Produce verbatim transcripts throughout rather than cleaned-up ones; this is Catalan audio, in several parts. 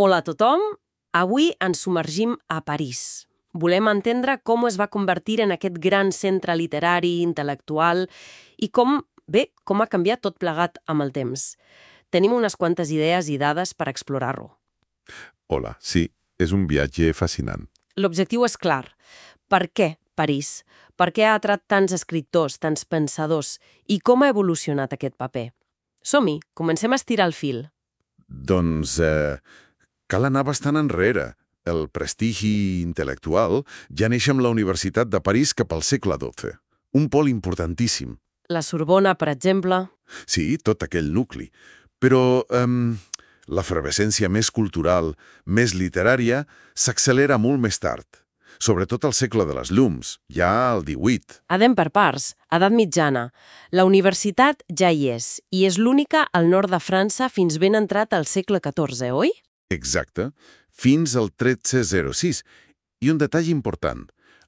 Hola a tothom, avui ens submergim a París. Volem entendre com es va convertir en aquest gran centre literari, intel·lectual i com, bé, com ha canviat tot plegat amb el temps. Tenim unes quantes idees i dades per explorar-lo. Hola, sí, és un viatge fascinant. L'objectiu és clar. Per què París? Per què ha atrat tants escriptors, tants pensadors? I com ha evolucionat aquest paper? Som-hi, comencem a estirar el fil. Doncs eh, cal anar bastant enrere. El prestigi intel·lectual ja neix amb la Universitat de París cap al segle dotze. Un pol importantíssim. La Sorbona, per exemple. Sí, tot aquell nucli. Però eh, l'efervescència més cultural, més literària, s'accelera molt més tard. Sobretot al segle de les llums, ja al divuit. Anem per parts, edat mitjana. La universitat ja hi és, i és l'única al nord de França fins ben entrat al segle catorze, oi? Exacte, fins al tretze zero sis. I un detall important,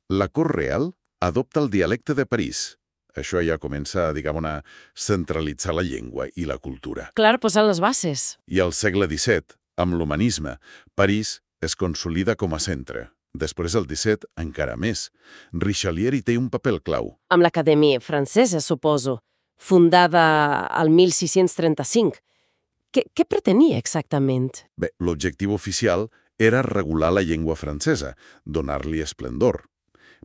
la cort real adopta el dialecte de París. Això ja comença, diguem, a centralitzar la llengua i la cultura. Clar, posant les bases. I al segle disset, amb l'humanisme, París es consolida com a centre. Després, el disset, encara més. Richelieu hi té un paper clau. Amb l'Acadèmia Francesa, suposo, fundada al mil sis-cents trenta-cinc. Què, què pretenia exactament? Bé, l'objectiu oficial era regular la llengua francesa, donar-li esplendor.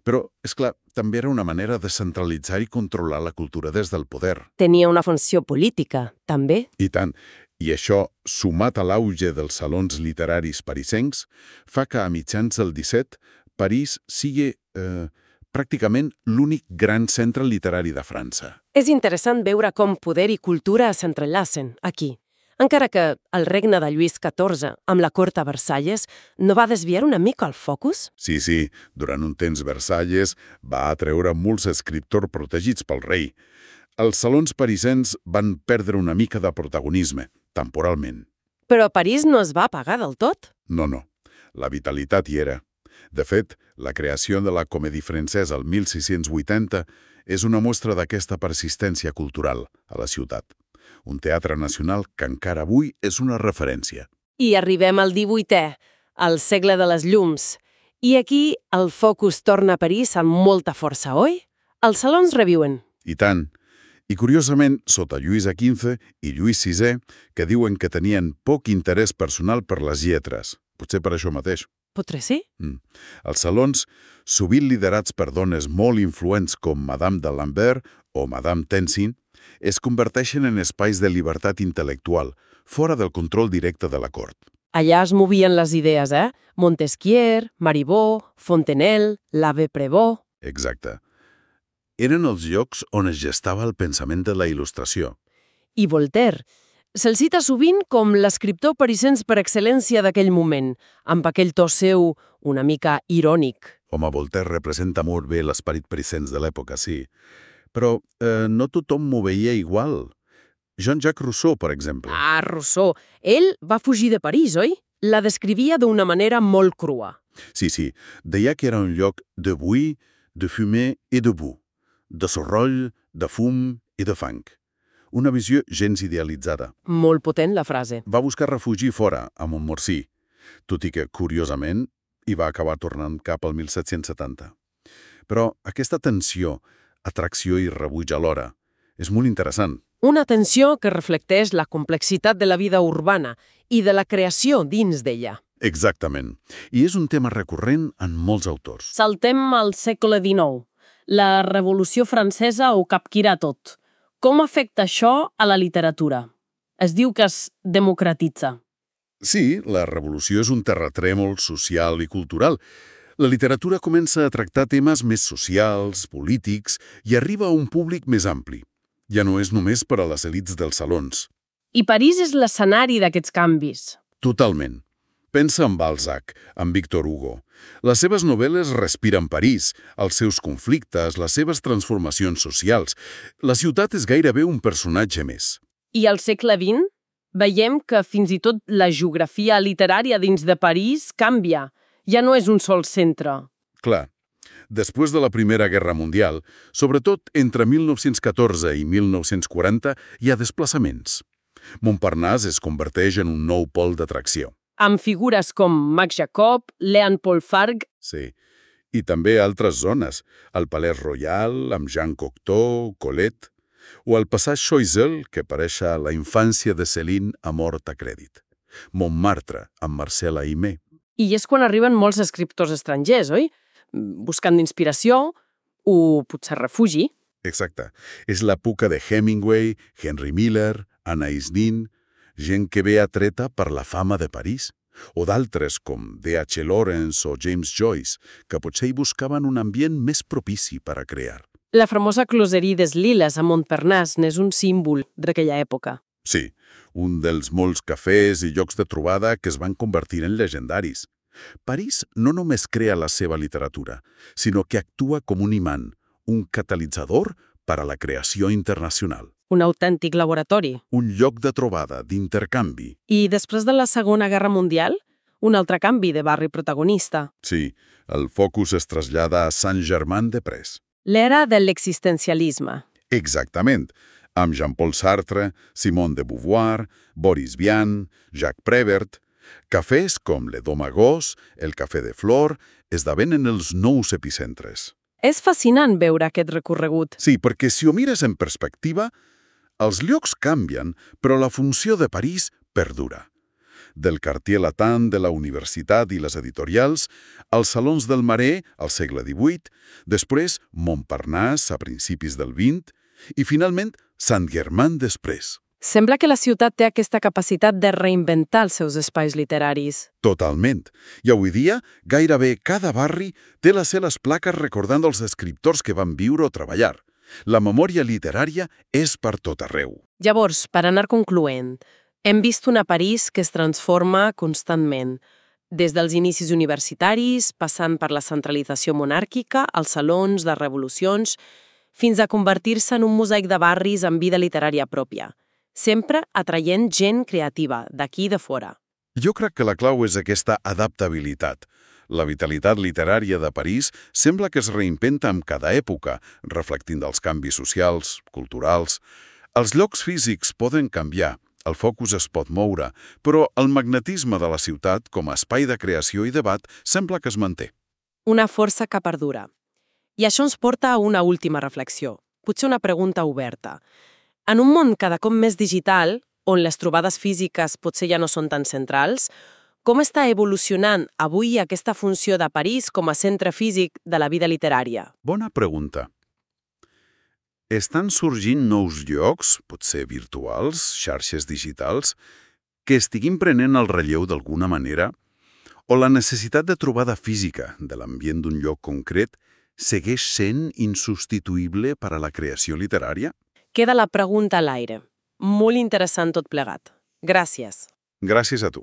Però, és clar, també era una manera de centralitzar i controlar la cultura des del poder. Tenia una funció política, també? I tant. I això, sumat a l'auge dels salons literaris parisencs, fa que a mitjans del disset París sigui eh, pràcticament l'únic gran centre literari de França. És interessant veure com poder i cultura s'entrellacen aquí. Encara que el regne de Lluís catorze, amb la cort a Versalles, no va desviar una mica el focus? Sí, sí, durant un temps Versalles va atreure molts escriptors protegits pel rei. Els salons parisens van perdre una mica de protagonisme, temporalment. Però París no es va apagar del tot? No, no. La vitalitat hi era. De fet, la creació de la Comédie Française al mil sis-cents vuitanta és una mostra d'aquesta persistència cultural a la ciutat. Un teatre nacional que encara avui és una referència. I arribem al divuitè, al segle de les llums. I aquí el focus torna a París amb molta força, oi? Els salons reviuen. I tant. I curiosament, sota Lluís quinze i Lluís sisè, que diuen que tenien poc interès personal per les lletres. Potser per això mateix. Potser sí? Mm. Els salons, sovint liderats per dones molt influents com Madame de Lambert o Madame Tencin, es converteixen en espais de llibertat intel·lectual, fora del control directe de la cort. Allà es movien les idees, eh? Montesquieu, Marivaux, Fontenelle, l'Abbé Prévost... Exacte. Eren els llocs on es gestava el pensament de la il·lustració. I Voltaire. Se'l cita sovint com l'escriptor parisens per excel·lència d'aquell moment, amb aquell to seu una mica irònic. Home, Voltaire representa molt bé l'esperit parisens de l'època, sí. Però eh, no tothom m'ho veia igual. Jean-Jacques Rousseau, per exemple. Ah, Rousseau. Ell va fugir de París, oi? La descrivia d'una manera molt crua. Sí, sí. Deia que era un lloc de bruit, de fumée i de boue. De soroll, de fum i de fang. Una visió gens idealitzada. Molt potent, la frase. Va buscar refugi fora, a Montmorency, tot i que, curiosament, hi va acabar tornant cap al mil set-cents setanta. Però aquesta tensió, atracció i rebuig alhora, és molt interessant. Una tensió que reflecteix la complexitat de la vida urbana i de la creació dins d'ella. Exactament. I és un tema recurrent en molts autors. Saltem al segle dinou. La Revolució Francesa ho capgira tot. Com afecta això a la literatura? Es diu que es democratitza. Sí, la revolució és un terratrèmol social i cultural. La literatura comença a tractar temes més socials, polítics, i arriba a un públic més ampli. Ja no és només per a les elits dels salons. I París és l'escenari d'aquests canvis. Totalment. Pensa en Balzac, en Victor Hugo. Les seves novel·les respiren París, els seus conflictes, les seves transformacions socials. La ciutat és gairebé un personatge més. I al segle vint veiem que fins i tot la geografia literària dins de París canvia. Ja no és un sol centre. Clar. Després de la Primera Guerra Mundial, sobretot entre mil nou-cents catorze i mil nou-cents quaranta, hi ha desplaçaments. Montparnasse es converteix en un nou pol d'atracció. amb figures com Max Jacob, Leon Paul Fargue. Sí. I també altres zones, el Palais Royal, amb Jean Cocteau, Colette, o el Passage Choiseul, que apareix a La infància de Céline a mort a crèdit. Montmartre, amb Marcel Aimé. I és quan arriben molts escriptors estrangers, oi? Buscant inspiració o potser refugi. Exacte. És l'època de Hemingway, Henry Miller, Anais Nin, gent que ve atreta per la fama de París, o d'altres com D H Lawrence o James Joyce, que potser hi buscaven un ambient més propici per a crear. La famosa closerie des Liles a Montparnasse n'és un símbol d'aquella època. Sí, un dels molts cafès i llocs de trobada que es van convertir en legendaris. París no només crea la seva literatura, sinó que actua com un imant, un catalitzador per a la creació internacional. Un autèntic laboratori. Un lloc de trobada, d'intercanvi. I després de la Segona Guerra Mundial, un altre canvi de barri protagonista. Sí, el focus es trasllada a Saint-Germain-des-Prés. L'era de l'existencialisme. Exactament, amb Jean-Paul Sartre, Simone de Beauvoir, Boris Vian, Jacques Prévert. Cafès com Le Domagos, el Cafè de Flore, esdevenen els nous epicentres. És fascinant veure aquest recorregut. Sí, perquè si ho mires en perspectiva, els llocs canvien, però la funció de París perdura. Del Quartier Latin de la universitat i les editorials, als salons del Marais al segle divuit, després Montparnasse a principis del vint i finalment Saint-Germain-des-Prés. Sembla que la ciutat té aquesta capacitat de reinventar els seus espais literaris. Totalment. I avui dia, gairebé cada barri té les seves plaques recordant els escriptors que van viure o treballar. La memòria literària és per tot arreu. Llavors, per anar concloent, hem vist una París que es transforma constantment, des dels inicis universitaris, passant per la centralització monàrquica, als salons de revolucions, fins a convertir-se en un mosaic de barris amb vida literària pròpia, sempre atraient gent creativa, d'aquí i de fora. Jo crec que la clau és aquesta adaptabilitat. La vitalitat literària de París sembla que es reinventa amb cada època, reflectint els canvis socials, culturals. Els llocs físics poden canviar, el focus es pot moure, però el magnetisme de la ciutat, com a espai de creació i debat, sembla que es manté. Una força que perdura. I això ens porta a una última reflexió, potser una pregunta oberta. En un món cada cop més digital, on les trobades físiques potser ja no són tan centrals, com està evolucionant avui aquesta funció de París com a centre físic de la vida literària? Bona pregunta. Estan sorgint nous llocs, potser virtuals, xarxes digitals, que estiguin prenent el relleu d'alguna manera? O la necessitat de trobada física de l'ambient d'un lloc concret segueix sent insubstituïble per a la creació literària? Queda la pregunta a l'aire. Molt interessant tot plegat. Gràcies. Gràcies a tu.